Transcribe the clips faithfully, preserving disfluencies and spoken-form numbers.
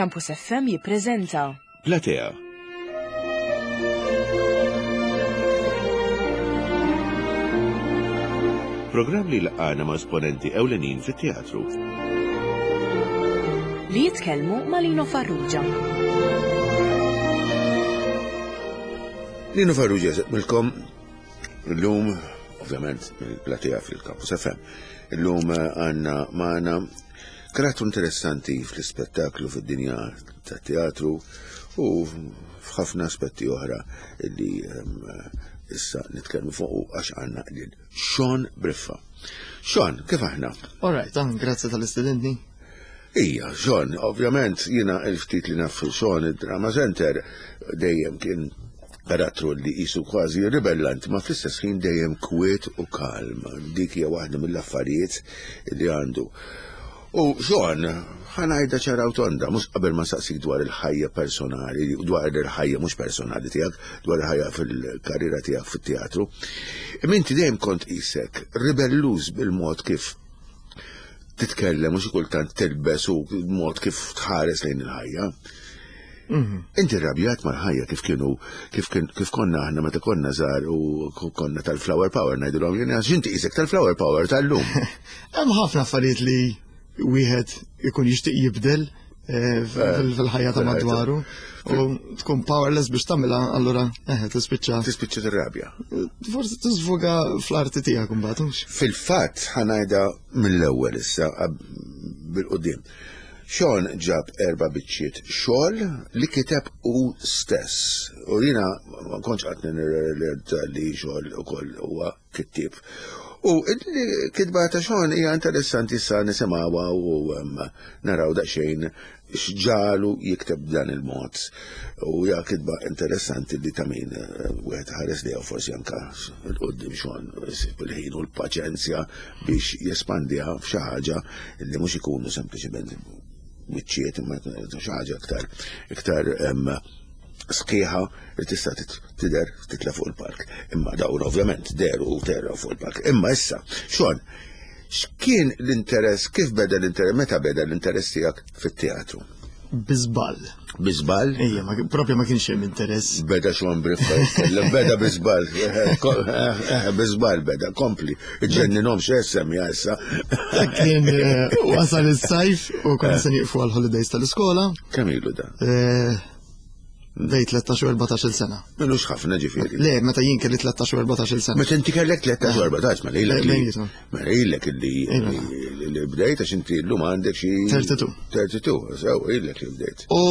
Campus F M jippreżenta Platea. Programm li laqana ma' esponenti ewlenin fit-teatru. Li jitkellmu ma' Lino Farrugia. Lino Farrugia milkom illum, ovvjament, il-platea fil-Campus F M. Illum eh, għanna maħna karattru interessanti fl-ispettaklu fid-dinja ta' teatru u f'ħafna aspetti oħra li ehm, issa nitkellmu fuq għax għandna lil Sean Briffa. Sean, kif aħna? All right, ah, grazzi tal-istudentni. Ija, Sean, ovvjament jiena il-ftit li naf Sean id-Drama Center dejjem kien karattru li jisu kważi ribellant, ma fl-istess ħin dejjem kwiet u kalm. Dik hija waħda mill-affarijiet li għandu. U Sean, ħa ngħidha ċara u tonda, mhux qabel ma saqsik dwar il-ħajja personali, dwar il-ħajja mhux personali tiegħek, dwar il-ħajja fil-karriera tiegħek fit-teatru. Imma inti dejjem kont qisek ribelluż bil-mod kif titkellem u xi kultant tilbes u mod kif tħares lejn il-ħajja. Mhm. Inti rrabjat mal-ħajja kif kienu kif kif konna aħna meta konna żgħar u konna tal-Flower Power ngħidulhom jien għax inti qisek tal-Flower Power tal-lum. Hemm ħafna affarijiet li wieħed ikun jixtieq jibdel eh, fil-ħajja ta' madwaru u tkun powerless biex tagħmilha, allura eh tispiċċa Tispiċċa tirrabja. Forsi tiżvoga fl-arti tiegħek imbagħad hux. Fil-fatt ħa ngħidha mill-ewwel issa bil-qudiem. Sean ġab erba' biċċiet xogħol li kiteb u stess. U jiena ma kontx qatt nirrealizza li Sean ukoll huwa kittieb. U il-kitba ta' Sean hija interessanti, issa nisimgħuha u um, naraw daqsxejn x'ġagħlu jikteb dan il-mod. U hija kitba interessanti li ta' min eh, wieħed ħares li forsi anka il-qudiem Sean bil-ħin u l-paċenzja biex jespandiha f'xi ħaġa li mhux ikunu sempliċement biċċiet imma xi ħaġa iktar iktar em, sħiħa li tista' tidher titla' fuq il-palk. Imma dawn ovvjament dehru u telgħu fuq il-palk. Imma issa, Sean, x'kien l-interess, kif beda l-interess, meta beda l-interess tiegħek fit-teatru? Bi żball. Bi żball? Ejja, ma propja ma kienx hemm interess. Beda Sean Briffa, jitkellem, beda bi żball, eh, bi żball beda, kompli, ġenninhom x'essem issa. Dak kien eh, wasal is-sajf u konna se nieqfu għal-holidays tal-iskola. Kemm ilu dan? Eh, Bejn tlettax u erbatax-il sena. M'ilux ħafna ġifieri. Le, meta jien kelli tlettax u erbatax-il sena. Meta inti kellek tlettax u erbatax, ma lilek li. Bejnietom. Ma lilek li Iva. li bdejt għax inti llum għandek xi tlieta u tletin. tlieta u tletin, sew ilek li bdejt. U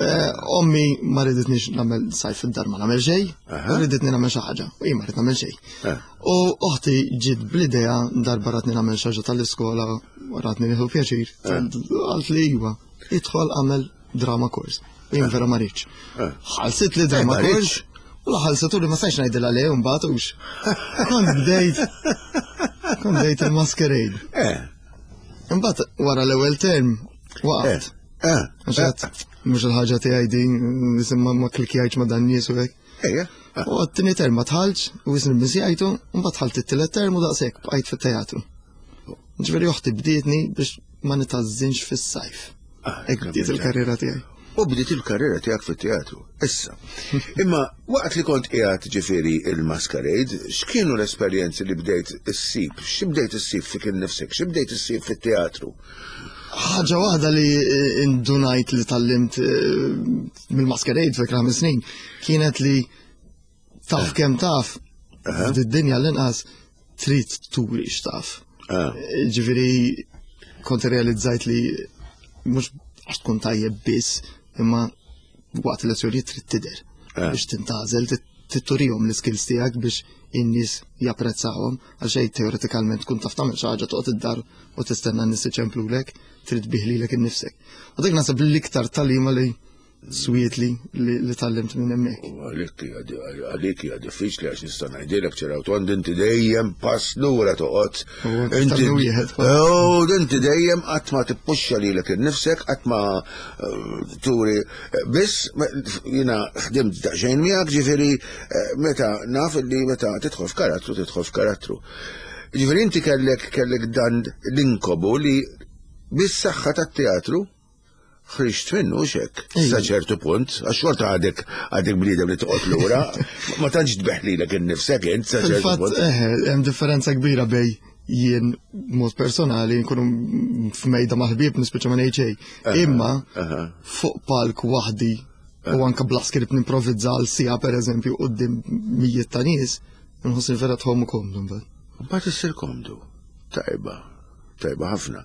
eh, ommi ma riditnix nagħmel sajf id-dar ma nagħmel xejn, Aha. u riditni nagħmel xi ħaġa, u jien ma rrid nagħmel xejn. Eh. U oħti ġiet bl-idea darba ratni nagħmel xi ħaġa tal-iskola u ratni nieħu pjaċir. Qalt li iva, idħol għamel drama course. U jien vera ma rridx. Eh. Ħalsit li drama Eh, ma rridx. course. U la ħalsitu li ma stajtx ngħidilha le mbagħad hux. Kont bdejt. Kont bdejt il-masquerade. Eh, Imbagħad wara l-ewwel term waqaft. eh, Għax għedt, mhux il-ħaġa tiegħi din, nisimma ma klikjajtx ma dan nies u hekk. Ejja. U għat-tieni term ma dħaltx, u jisni bisjajtu, u mbagħad dħalt it-tielet term u daqshekk bqajt fit-teatru. Ġifieri oħti bdietni biex ma nitgħażżinx fis-sajf. Ah, Hekk bdiet il-karriera tiegħi. U bdiet il-karriera tiegħek fit-teatru. Issa. Imma waqt li kont qiegħed ġifieri il-masquerade, x'kienu l-esperjenzi li bdejt issib? X'bdejt issib fik innifsek? X'bdejt issib fit-teatru? Ħaġa waħda li eh, indunajt li tgħallimt eh, mill-masquerade fik ħames snin kienet li taf kemm taf fid-dinja l-inqas trid turi x'taf. Ah, Ġifieri kont realizzajt li mhux għax tkun tajjeb biss, imma waqt il-lezzjonijiet trid tidher Ah. biex tintgħażel, turihom l-skills tiegħek biex in-nies japprezzawhom, għax xejn teoretikalment tkun taf tagħmel xi ħaġa toqgħod id-dar u tistenna n-nies iċemplulek, trid tbigħ lilek innifsek. U dik naħseb l-iktar tagħlima li swiet li li li tgħallimt minn hemmhekk. U għalik hija di- għalik hija diffiċli għax nista' ngħidilek ċara u tond inti dejjem pass lura toqgħod. U aktar minn wieħed. Oh, inti dejjem qatt ma tippuxxa lilek innifsek, qatt ma eh, turi. Biss ma- jiena ħdimt daqsxejn miegħek ġifieri eh, meta naf li meta tidħol f'karattru tidħol f'karattru. Ġifieri inti kellek kellek dan l-inkobu li bis-saħħa tat-teatru Ħriġt minnu xek, sa ċertu punt, għax xorta għadek għadek bniedem li toqgħod lura, ma tantx tbeħ lilek innifsek int sa ċertu punt. Eħe, hemm differenza kbira bej jien mod personali nkunu f'mejda ma' ħbieb nispiċċa ma ngħid xejn. Imma fuq palk waħdi u anka bla skript nimprovizza għal siegħa pereżempju quddiem mijiet ta' nies, nħossni vera tħomm komdu mbagħad. Mbagħad issir komdu. Tajba. Tajba ħafna.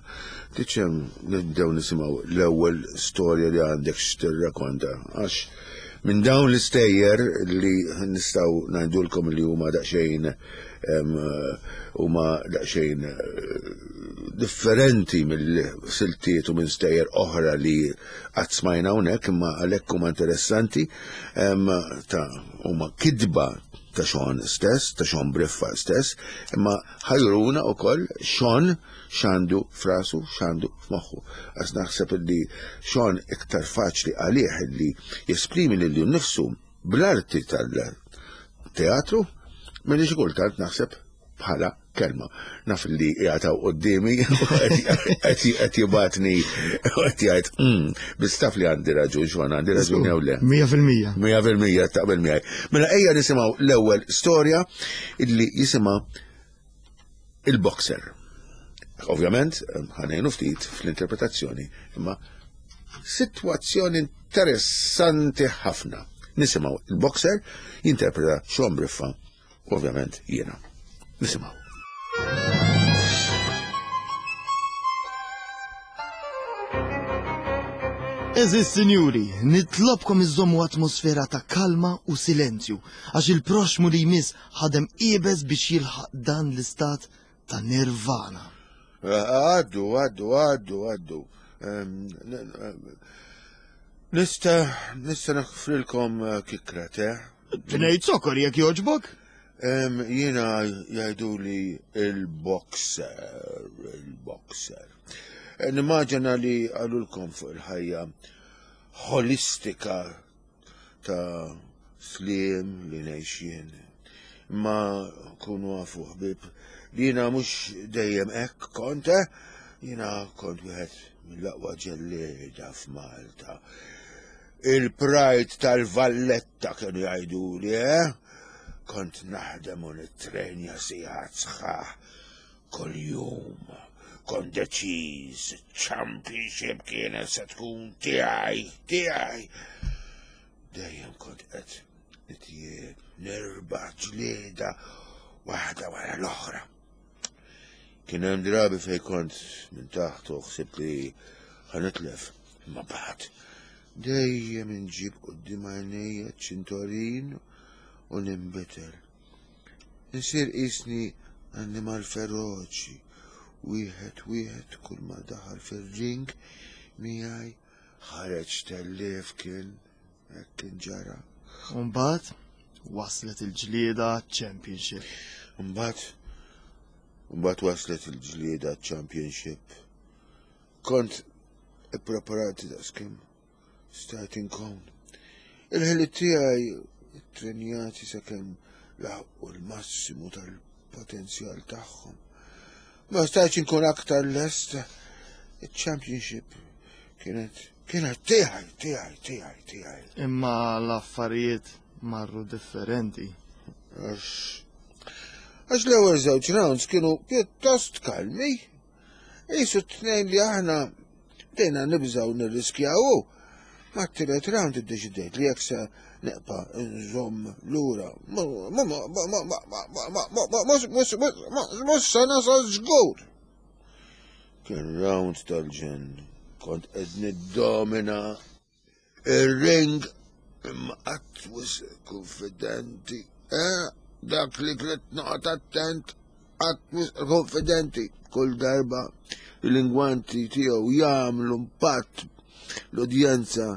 Tiċem nibdew nisimgħu l-ewwel storja li għandek x'tirrakonta għax minn dawn l-istejjer li nistgħu ngħidulkom li huma daqsxejn huma daqsxejn differenti mill-siltiet u minn stejjer oħra li qatt smajna hawnhekk imma għalhekk huma interessanti ta' huma kitba ta' Sean stess, ta' Sean Briffa stess, imma ħajruna u koll Sean x'għandu f'rasu, x'għandu f'moħħu. Għax naħseb li Sean iktar faċli għalih li jesprimi lilu nnifsu bl-arti tal-teatru, milli xi kultant naħseb bħala kelma. Naf li jgħataw qoddimi, qed jibatni, qed jgħid, biss taf li għandi raġun, xwan għandi raġun jew le. Mija fil-mija. Mija fil-mija taqbel miegħi. Mela ejja nisimgħu l-ewwel storja illi jisimha il-boxer. Ovvjament, ħanejnu ftit fl-interpretazzjoni, imma sitwazzjoni interessanti ħafna. Nisimgħu il-boxer jinterpreta Sean Briffa, ovvjament jiena. Nisimgħu. Eżis, sinjuri, nitlobkom iżommu atmosfera ta' kalma u silenzju, għax il-proxmu li jmiss ħadem iebes biex jilħaq dan l-istat ta' nirvana. Għaddu, għaddu, għaddu, għaddu. Nista, nista naħfrilkom kikra, te? Tnejn sokor jekk jogħġbok? Jiena jgħidu li il-boxer, il-boxer. Nimmaġina li għalulkom fuq il-ħajja holistika ta' slim li ngħix. Ma kunu għafu ħbib li jiena mhux dejjem hekk kont, jiena kont wieħed mill-aqwa ġellieda f'Malta. Il-pride tal-Valletta kienu jgħidu li, eh? Kont naħdem u nittrenja sigħat sħaħ kuljum. Kont deċiż, championship kienet se tkun tiegħi, tiegħi. Dejjem kont qed nitjieb, nirbaħ ġlieda waħda wara l-oħra. Kien hemm drabi fejn kont minn taħt u ħsibt li ħanitlef, imma bad. Dejjem inġib quddiem għajnejja ċintorin u ninbitel. Insir qisni annimal feroċi, wieħed wieħed kull ma daħal fir-ring miegħi ħareġ tellef kien hekk kien ġara. U mbagħad waslet il-ġlieda championship. Mbagħad mbagħad waslet il-ġlieda championship. Kont ippreparat daqskemm stajt inkun. Il-ħiliet tiegħi ttrenjati sakemm laħqu l-massimu tal-potenzjal tagħhom. Ma stajtx inkun aktar lest. Il-championship kienet kienet tiegħi, tiegħi, tiegħi, tiegħi. Imma l-affarijiet marru differenti. Għax għax l-ewwel żewġ rounds kienu pjuttost kalmi. Qisu t-tnejn li aħna bdejna nibżgħu nirriskjaw. Ma t-tielet round iddeċidejt li jekk se neqpa nżomm lura. Mhux se nasal żgur. Kien round tal-ġenn. Kont qed niddomina ir-ring imma qatt wisq konfidenti. Eh, dak li trid noqgħod attent, qatt wisq konfidenti. Kull darba l-lingwanti tiegħu jagħmlu impatt l-udjenza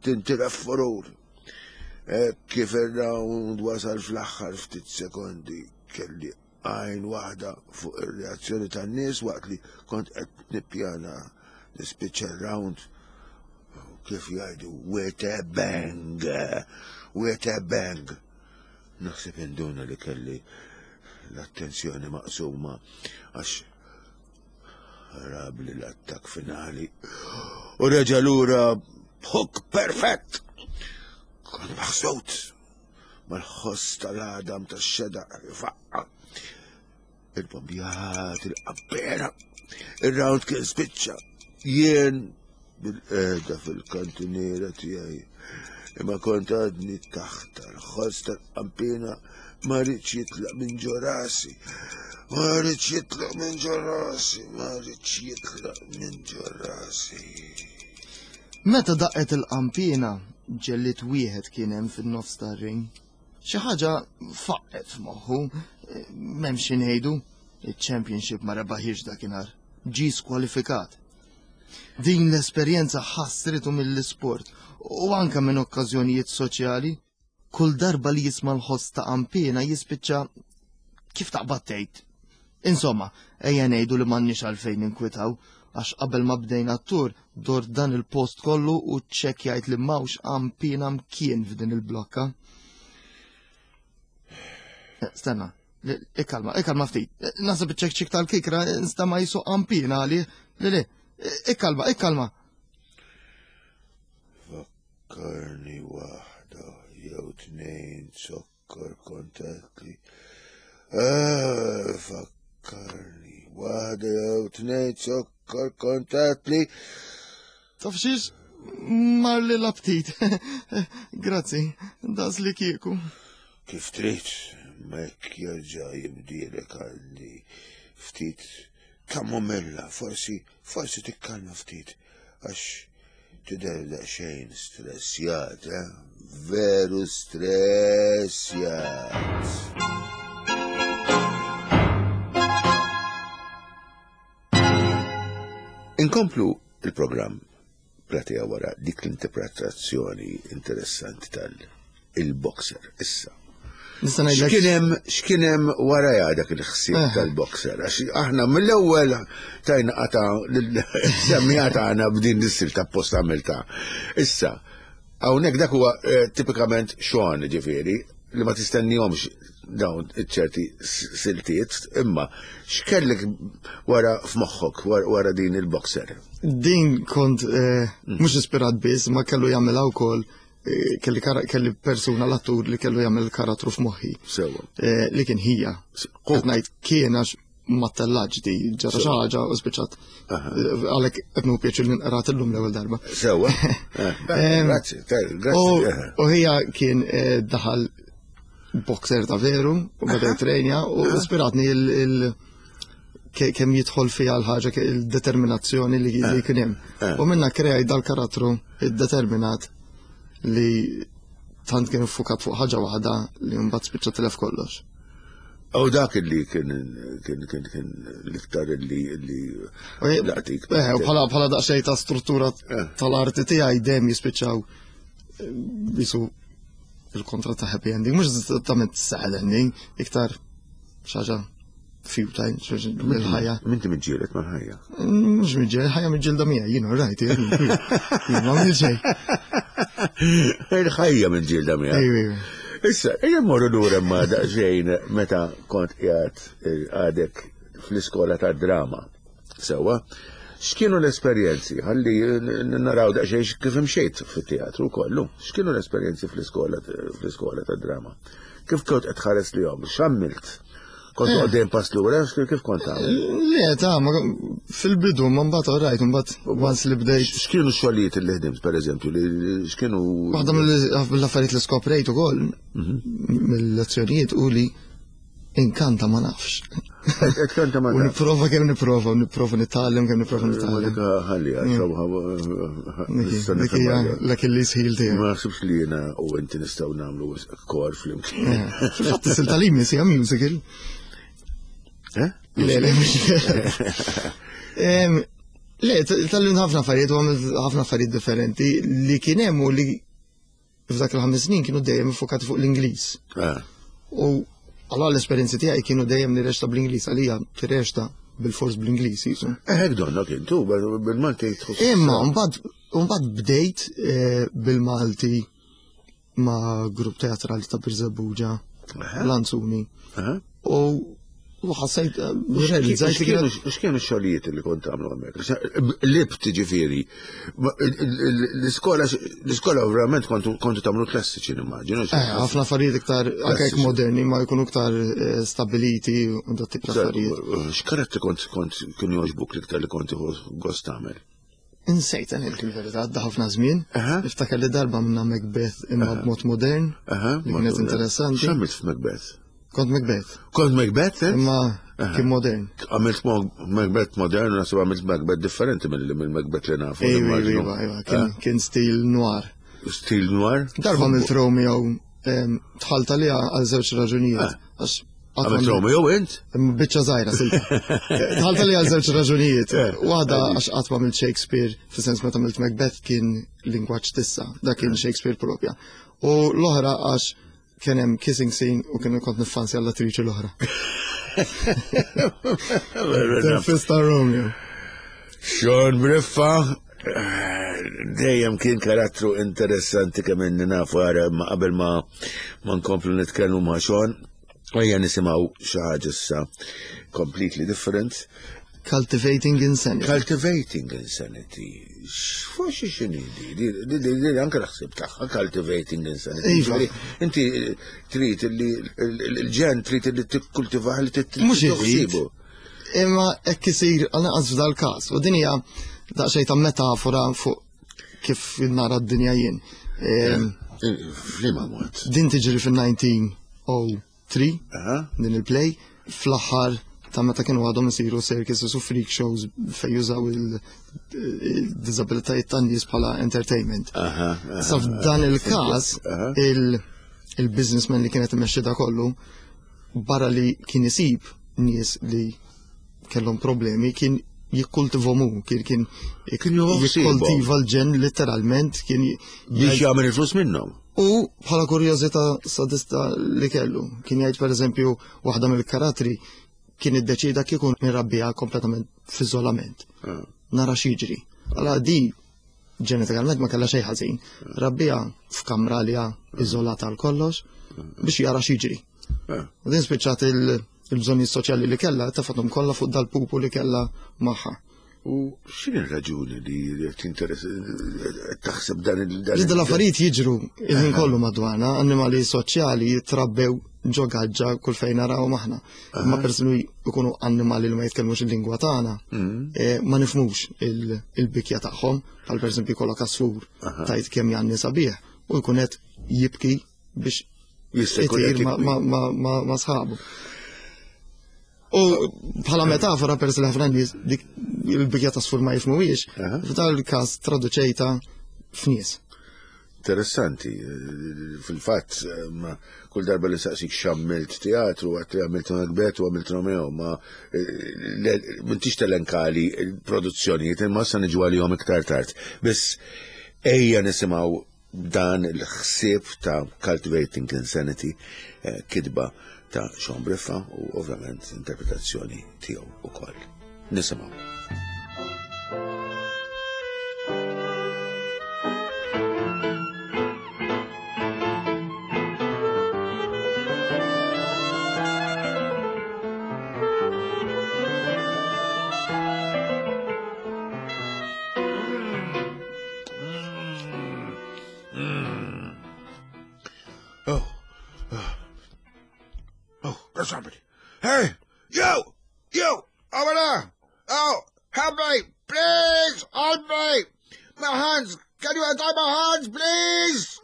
tintilef furur. Kif ir-round wasal fl-aħħar ftit sekondi kelli għajn waħda fuq ir-reazzjoni tan-nies waqt li kont qed nippjana nispiċċa r-round kif jgħidu with a bang, with a bang. Naħseb induna li kelli l-attenzjoni maqsuma għax ħarabli l-attak finali U reġa' lura b'hook perfett. Kont maħsud mal-ħoss tal-għadam tax-xedaq faqqa. Il-bombjat, il-qabbera, il-round kien spiċċa. Jien bil-qeda fil-kantiniera tiegħi. Imma kont għadni taħt l-ħoss tal-qampina ma rridx jitlaq minn ġo rasi. Ma rridx jitlaq minn ġo rasi, ma rridx jitlaq minn ġo rasi. Meta daqqet il-qampina, ġellied wieħed kien hemm fin-nofs tar-ring. Xi ħaġa faqqet f'moħħu, m'hemm xi ngħidu, il-championship ma rebaħiex dakinhar. Ġie skwalifikat. Din l-esperjenza ħassritu mill-isport u anka minn okkażjonijiet soċjali. Kull darba li jisma' l-ħoss ta' qampina jispiċċa kif taqbad tgħid. Insomma, ejja ngħidu li m'għandniex għalfejn ninkwitaw għax qabel ma bdejna t-tur dort dan il-post kollu u ċċekkjajt li m'hawnx qampina mkien f'din il-blokka. Eh, Stenna, li- ikkalma, ikkalma ftit. Eh, Naħseb iċ-ċekċik tal-kikra nstama' qisu qampina għali. Le, le, ikkalma, ikkalma. Fakkarni waħda jew tnejn zokkor kontatli. Ah, fakkarni waħda jew tnejn zokkor kontatli. Taf xiex? Marli l-aptit. Grazzi, das li kieku. Kif trid, ma jekk jerġa' jibdielek għandi ftit kamomilla, forsi, forsi tikkalma ftit, għax tidher daqsxejn stressjat, eh? Veru stressjat. Inkomplu il-programm platea wara dik l-interpretazzjoni interessanti tal-il-boxer issa. Nista' ngħidlek. X'kien hemm x'kien hemm wara dak il-ħsieb Eh. tal-boxer għax aħna mill-ewwel tajna qata lil-semmija tagħna b'din l-istil ta' post għamilta. Issa, hawnhekk dak huwa eh, tipikament Sean ġifieri li ma tistennihomx dawn iċ-ċerti s- siltiet, imma x'kellek wara f'moħħok wara wara din il-boxer? Din kont eh, mhux ispirat biss, ma kellu jagħmilha wkoll eh, kelli kara- kelli persuna l-attur li kellu jagħmel karattru f'moħħi. Sewwa. Eh, li kien ħija. Qed ngħid kien għax ma tellaġ di ġara xi ħaġa u spiċċat. Eh, Għalhekk qed nieħu pjaċir li nqrat illum l-ewwel darba. Sewwa. Eh, Em, Grazzi, ter- U grazzi. eh. u ħija kien eh, daħal boxer ta' veru u beda jitrenja u ispiratni il- il- ke- kemm jidħol fiha l-ħaġa ke- il-determinazzjoni li li kien hemm. U minna kreaj dal-karattru id-determinat li tant kien iffukat fuq ħaġa waħda li mbagħad spiċċa tilef kollox. U dak li kien kien kien kien l-iktar li li U- laqtik. Eh, u bħala bħala daqsxejn ta' struttura Eh. tal-arti tiegħi dejjem jispiċċaw eh, bisu il-kontra ta' happy ending, mhux eżattament sad ending, iktar xi ħaġa futile, l-ħajja. Minti miġġieled mal-ħajja. Mhux miġġieled, ħajja miġġielda miegħi, jien right, jien jien ma għamil xejn. Il-ħajja miġġielda miegħek. Ejju, ejju. Issa, ejja mmorru lura ma daqsxejn meta kont qiegħed eh, għadek fl-iskola ta' drama. Sewwa, x'kienu l-esperjenzi? Ħalli n- naraw daqsxejn kif imxejt fit-teatru kollu. X'kienu l-esperjenzi fl-iskola fl-iskola ta' drama? Kif kont qed tħares lihom? X'għamilt? Kont għoddejn pass lura, kif kont tagħmel? Le, ta' ma fil-bidu, ma mbagħad all right, mbagħad once li bdejt. X'kienu x-xogħlijiet li ħdimt, pereżempju, li li- x'kienu Waħda mill-affarijiet li skoprejt ukoll mill-lezzjonijiet u li inkanta ma nafx. Qed kanta ma U nipprova kemm nipprova, u nipprova nitgħallem kemm nipprova Ma nitgħallem. dik ħalli, Dik hija l-Achilles heel tiegħi. Ma naħsibx li jiena u inti nistgħu nagħmlu kor flimkien. Eh, Fil-fatt is-silta li jmiss hija musical. Eh? Le, le, mhux. Em, Le, tgħallimt ħafna affarijiet u għamilt ħafna affarijiet differenti li kien hemm u li f'dak il-ħames snin kienu dejjem iffokati fuq l-Ingliż. Ah, U għala l-esperjenzi tiegħi kienu dejjem nirreċta bl-Ingliż għalija tirreċta bil-fors bl-Ingliż jisu. Eh, hekk donna kien tu, bil-Malti tħoss. Imma mbagħad mbagħad bdejt eh, bil-Malti ma' grupp teatrali ta' Birżebbuġa, Lanzuni. Aha. U U ħassejt, realizzajt li kienet. X'kienu x-xogħlijiet li kont tagħmlu hemmhekk? Libt ġifieri. L-iskola l-iskola verament kontu kontu tagħmlu klassiċi nimmaġinu. Eh, ħafna affarijiet iktar anke jekk moderni ma jkunu iktar eh, stabiliti u dat tip ta' affarijiet. X'karattri kont kont kienu jogħġbuk l-iktar li kont tieħu gost tagħmel? Insejt ngħid il-verità, għadda ħafna żmien. Aha. Niftakar li darba minna Macbeth imma b'mod modern, Aha. li kienet interessanti. X'għamilt f'Macbeth? Kont Macbeth, Kont Macbeth, eh? imma kien modern. Għamilt mo- Macbeth modern, u naħseb għamilt Macbeth differenti mill mill-Macbeth li nafu. Ejwa, nimmaġinu. ejwa, ejwa, kien- kien stil noir. Stil noir? Darba għamilt Romeo em, dħalt li għal żewġ raġunijiet. Għax qatt Għamilt ma- Romeo int? Imma biċċa żgħira silta. Dħalt li għal żewġ raġunijiet. Eh, Waħda għax qatt ma għamilt Shakespeare, fis-sens meta għamilt Macbeth kien lingwaġġ tissa, dak kien Shakespeare propja. U l-oħra għax kien hemm kissing scene u kien kont niffansja l-attriċi l-oħra. Fista Romeo. Sean Briffa, eh, dejjem kien karattru interessanti kemm inni nafu għara ma qabel ma ma nkomplu nitkellmu ma' Sean, ejja nisimgħu xi ħaġa issa completely different. Cultivating Insanity. Cultivating Insanity. X'forsi x'inhi di? Di di- di- di anke l-ħsieb tagħha Cultivating Insanity. Iva. Ġifieri, Inti trid li l-ġen trid li tikkultivah li Mhux irrid. titħsibu. Imma hekk isir għal naqas f'dal każ. U din hija daqsxejn ta' metafora fuq kif nara d-dinja jien. Em, F'liema mod. Din tiġri fil-elf disa' mija u tlieta Aha. din il-play fl-aħħar ta' meta kienu għadhom isiru circuses u freak shows fejn jużaw il-disabilitajiet tan-nies bħala entertainment. Aha. aha, Sa f'dan il-każ Aha. il- il-businessman li kienet imexxi da kollu barra li kien isib nies li kellhom problemi kien jikkultivhom hu, kien kien Kien jħossibhom. jikkultiva l-ġen letteralment kien j- Biex jagħmel il-flus minnhom. U bħala kurjożità sadista li kellu, kien jgħid per eżempju waħda mill-karattri kien iddeċida kieku nirabbiha kompletament f'iżolament. Nara x'jiġri. Għala di ġenetikalment ma kellha xejn ħażin. Rabbiha f'kamra li hija iżolata għal kollox biex jara x'jiġri. U din spiċċat il- il-bżonni soċjali li kellha tefathom kollha fuq dal-pupu li kellha magħha. U x'inhi r-raġuni li tinteress taħseb dan il dan Ġidda l-affarijiet jiġru il-ħin kollu madwarna, annimali soċjali jitrabbew ġo gaġġa kull fejn naraw maħna. Ma persuni jkunu annimali li ma jitkellmux il-lingwa tagħna, eh, ma nifhmux il- il-bikja tagħhom, bħal pereżempju jkollok għasfur tajt kemm janni sabiħ u jkun qed jibki biex Jista' jkun qed itir ma- jibki. ma- ma- ma- ma' sħabu. U bħala metafora peress li ħafna nies dik il-bikja ta' għasfur ma jifhmuhiex, Aha. f'dal każ traduċejta f'nies. Interessanti, fil-fatt, ma kull darba li saqsik x'għamilt teatru, għedt li għamilt Macbeth u għamilt Romeo, ma eh, m'intix telenkali il-produzzjonijiet, imma sa niġu għalihom iktar tard. Biss ejja nisimgħu dan il-ħsieb ta' Cultivating Insanity, eh, kitba ta' Sean Briffa u ovvjament interpretazzjoni tiegħu ukoll. Nisimgħu. Oh. Oh, there's somebody. Hey, you! You! Over there! Oh, help me! Please! Help me! My hands! Can you untie my hands, please?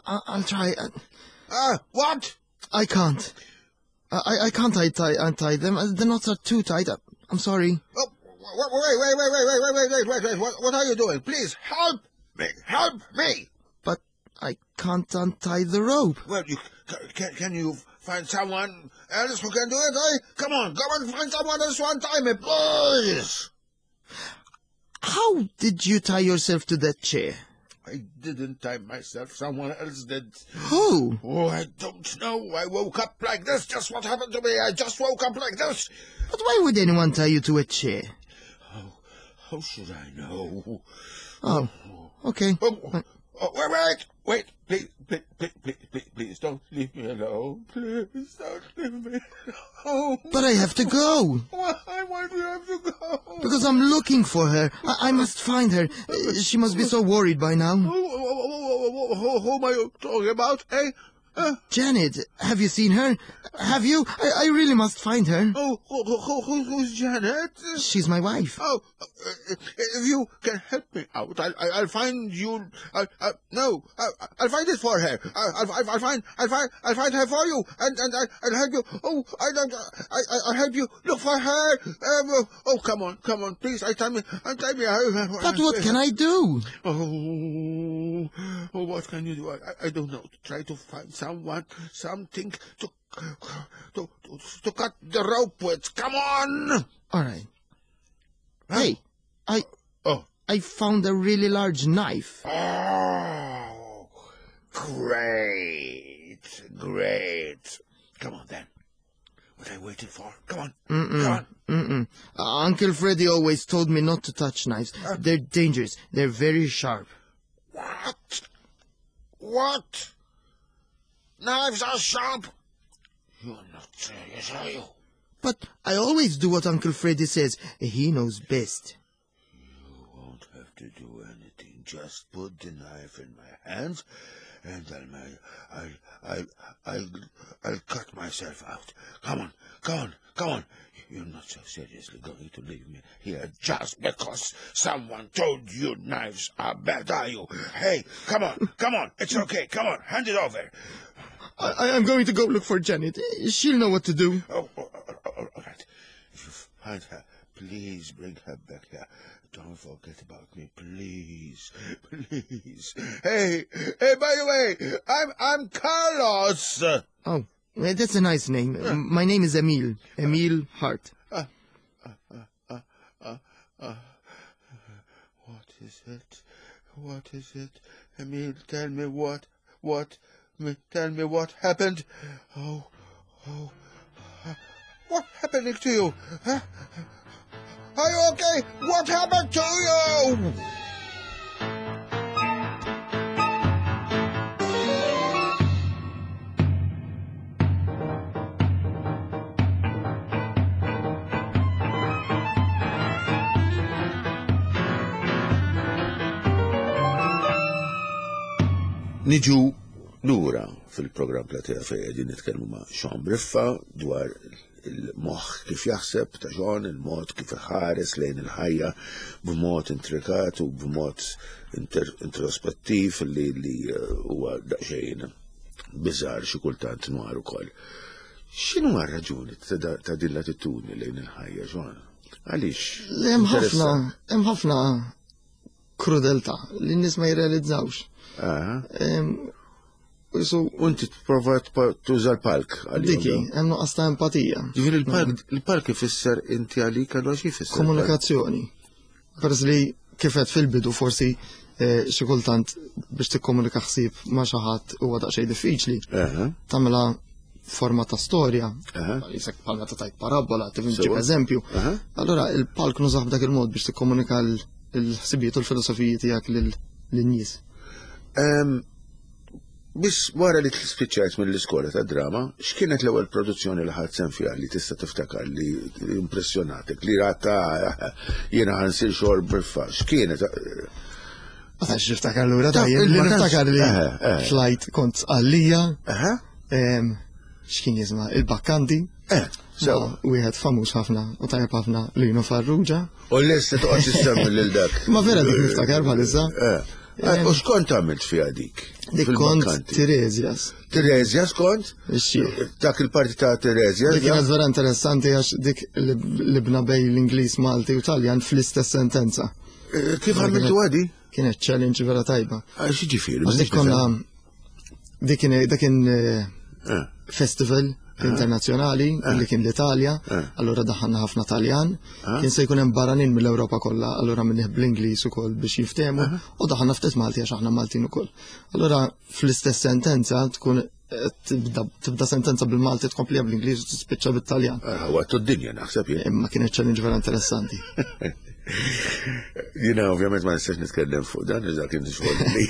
I, I'll try. Uh, what? I can't. I, I can't untie, untie them. The knots are too tight. I'm sorry. Oh, wait, wait, wait, wait, wait, wait, wait, wait, wait, wait. What, what are you doing? Please, help me! Help me! But I can't untie the rope. Well, you can, can you find someone else who can do it, eh? Come on, go and find someone else to untie me, please! How did you tie yourself to that chair? I didn't tie myself. Someone else did. Who? Oh, I don't know. I woke up like this. Just what happened to me. I just woke up like this. But why would anyone tie you to a chair? How should I know? Oh, okay. Oh, oh, wait, wait, wait, please, please, please, please, please, please, don't leave me alone. Please, don't leave me alone. But I have to go. Why, why do you have to go? Because I'm looking for her. I, I must find her. Uh, She must be so worried by now. Who, who, who, who, who am I talking about, eh? Uh, Janet, have you seen her? Have you? I, I really must find her. oh, who, who, who, who's Janet? She's my wife. Oh, uh, if you can help me out, I'll, I'll find you. I'll, I, no, I'll, I'll find it for her. I'll, I'll, I'll find, I'll find, I'll find her for you, and and I, I'll help you. Oh, I don't, I, I, I'll help you look for her. Um, oh, come on, come on, please. I tell me, I tell me. But what can I do? Oh, oh, what can you do? I, I I don't know. Try to find someone, something to, to, to, to cut the rope with. Come on! All right. Hey, I Oh. I found a really large knife. Oh, great, great. Come on then. What are you waiting for? Come on, Mm-mm. come on. Mm-mm. Uh, Uncle Freddy always told me not to touch knives. They're dangerous. They're very sharp. What? What? Knives are sharp. You're not serious, are you? But I always do what Uncle Freddy says. He knows best. You won't have to do anything. Just put the knife in my hands, and I'll, I'll, I'll, I'll, I'll cut myself out. Come on, come on, come on. You're not so seriously going to leave me here just because someone told you knives are bad, are you? Hey, come on, come on. It's okay. Come on, hand it over. I, I am going to go look for Janet. She'll know what to do. Oh, oh, oh, oh, all right. If you find her, please bring her back here. Don't forget about me, please, please. Hey, hey! By the way, I'm I'm Carlos. Oh, eh, that's a nice name. My name is Emil. Emil Hart. Uh, uh, uh, uh, what is it? What is it? Emil, tell me what, what, me, tell me what happened. Oh, oh, uh, what happening to you? Huh? Are you okay? What happened to you? Niġu lura fil-programm Platea fejn qegħdin nitkellmu ma' Sean Briffa dwar il-moħħ kif jaħseb ta' Sean, il-mod kif iħares lejn il-ħajja b'mod intrikat u b'mod inter introspettiv li li eh, huwa daqsxejn biżar xi kultant nwar ukoll. X'inhu r-raġuni ta' da- ta' din l-attitudni lejn il-ħajja, Sean? Għaliex? Hemm ħafna, hemm ħafna krudeltà li n-nies ma jirrealizzawx. Ah, Em, U so, U inti tipprova tpa- tuża l-palk għalihom diki, dawn. hemm nuqqas ta' empatija. Ġifieri il-palk il-palk ifisser inti għalik allura xi jfisser? Komunikazzjoni. Peress li kifet fil-bidu forsi eh, xi kultant biex tikkomunika ħsieb ma' xi ħadd huwa daqsxejn diffiċli. Aha, Tagħmilha forma ta' storja. aha, Jisek bħal meta tajt parabola, tifhem Sewa. ġib eżempju. aha. Allura il-palk nużah b'dak il-mod biex tikkomunika l- il-ħsibijiet u l-filosofiji tiegħek lil- lin-nies. Em, Biss wara li spiċċajt mill-iskola ta' drama, x'kienet l-ewwel produzzjoni li ħadt sehem fiha li tista' tiftakar li impressjonatek, li rata jiena ħa nsir Sean Briffa, x'kienet? Ma tantx niftakar lura Ta' tajjeb, li ma tantx- niftakar li Eh, eh. tlajt kont għalija, Aha, em, x'kien jisma' il-Bakkanti, eh, sewa. ma' wieħed famuż ħafna u tajjeb ħafna Lino Farrugia. U lesta toqgħod issemmi lil dak. Ma vera dik niftakar bħalissa. Eh, eh, U x'kont għamilt fiha dik? Dik kont Fil-Bakkanti? Tiresias. Tiresias kont? Ix-xieħ. Dak il-parti ta' Tiresias? Dik kienet vera interessanti għax dik li libna bejn l-Ingliż, Malti u Taljan fl-istess sentenza. Eh, Kif għamiltu għadi? Kienet challenge vera tajba. Għax ġifieri. Għax dik konna dik kien dak kien eh, Eh. festival internazzjonali li kien l-Italja, Eh. allura daħħalna ħafna Taljan, Ah. kien se jkun hemm barranin mill-Ewropa kollha, allura minnih bl-Ingliż ukoll biex jiftehmu, u daħħalna ftit Malti għax aħna Maltin ukoll. Allura fl-istess sentenza tkun Tibda tibda sentenza bil-Malti, tkompliha bl-Ingliż u tispiċċa bit-Taljan. Għattu d-dinja naħseb jien. Imma kienet challenge vera interessanti. Jiena ovvjament ma nistax nitkellem fuq dan, iżda kien xogħol li.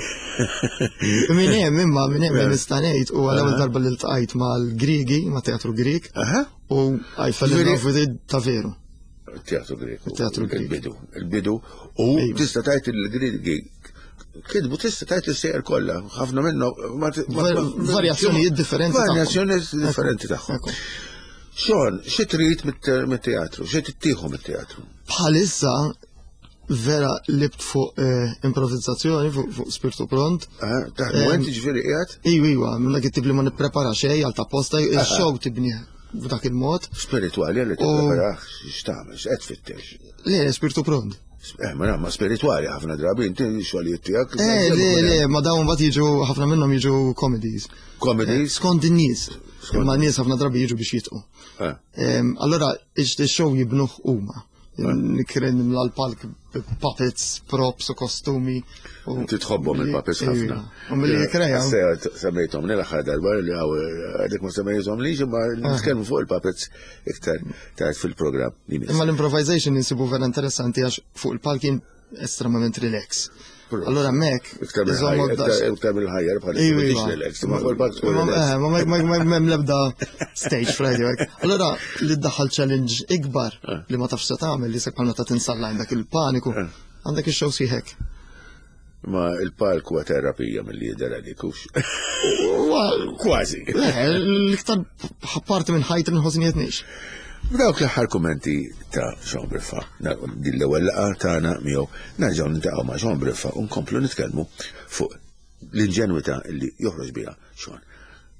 Min hemm imma min hemm li nista' ngħid u għal ewwel darba li ltqajt mal-Griegi, ma' teatru Grieg, Aha. u I fell in Ġifieri- love with it ta' veru. Teatru Grieg. Teatru Grieg. Il-bidu, il-bidu. U Iva. tista' tgħid il-Griegi kitbu tista' tgħid l-sejjer kollha, ħafna minnhom ma- ma- Var- ma- varjazzjonijiet differenti tagħhom. Varjazzjonijiet differenti tagħhom. Ekku. Sean, xi trid mit- mit-teatru? Xi tittieħu mit-teatru? Bħalissa vera libt fuq eh, improvizzazzjoni, fuq fuq spirtu pront. Ah, Taħdmu Em, inti ġifieri qiegħed Iwa, iwa, minn dak it-tip li ma nipprepara xejn għal ta' posta, il-show tibni b'dak il-mod. Spiritwali li tippreparax x'tagħmel, x'qed tfittex. Le, spirtu pront. Eh, ma ma spiritwali ħafna drabi inti xogħlijiet tiegħek. Eh, le, le, ma dawn mbagħad jiġu ħafna minnhom jiġu comedies. Comedies. Skont in-nies. Skont- Imma n-nies ħafna drabi jiġu biex jitqu. Eh. Em, Allora, ix-show jibnuh huma. Nikren nimla l-palk puppets, props u kostumi. u- Inti tħobbhom il-puppets Iva. ħafna. U milli jikkreja. Semmejthom l-aħħar darba li għaw għadek ma semmejthom li imma nitkellmu fuq il-puppets iktar tard fil-programm li miss. Imma l-improvisation insibu vera interessanti għax fuq il-palk jien estremament relax. Pro. Allora mek, Iktar iżommok mill-ħajja, daqs- iktar mill-ħajja bħal Iva, m'intix iva. relax, ma fuq il-palk tkun Ma- relax. eh, Ma ma- ma- ma- m'hemm l-ebda stage fright jew hekk. Allora li ddaħħal challenge ikbar Eh. li ma tafx se tagħmel li sekk bħal meta tinsalla għandek il-paniku, Eh. għandek ix-show sieħek. Ma il-palk huwa terapija mill-li jidher għalik hux. Huwa- Kważi. Le, l-iktar parti minn ħajti nħossni qed ngħix. B'dawk l-aħħar kummenti ta' Sean Briffa, din l-ewwel laqgħa tagħna miegħu nerġgħu niltaqgħu ma' Sean Briffa u nkomplu nitkellmu fuq l-inġenwità li joħroġ biha Sean.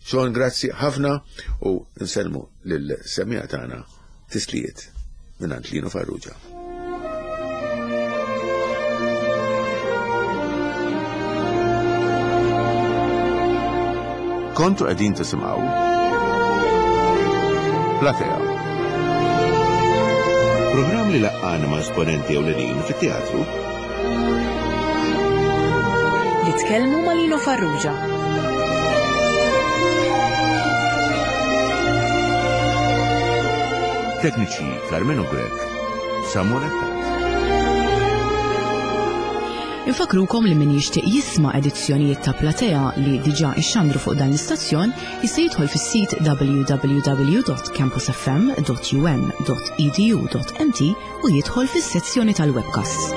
Sean, grazzi ħafna u nsellmu lil-semmiegħa tagħna tislijiet minn Lino Farrugia. Kontu qegħdin tisimgħu Platea. Programm li laqqana ma' esponenti ewlenin fit-teatru Li tkellmu ma' Lino Farrugia. Tekniċi Carmelo Grech, Samuel Attat. Infakrukom li min jixtieq jisma' edizzjonijiet ta' Platea li diġà ixxandru fuq dan l-istazzjon jista' jidħol fis-sit w w w dot campusfm dot u n dot e d u dot m t u jidħol fis-sezzjoni tal-webcasts.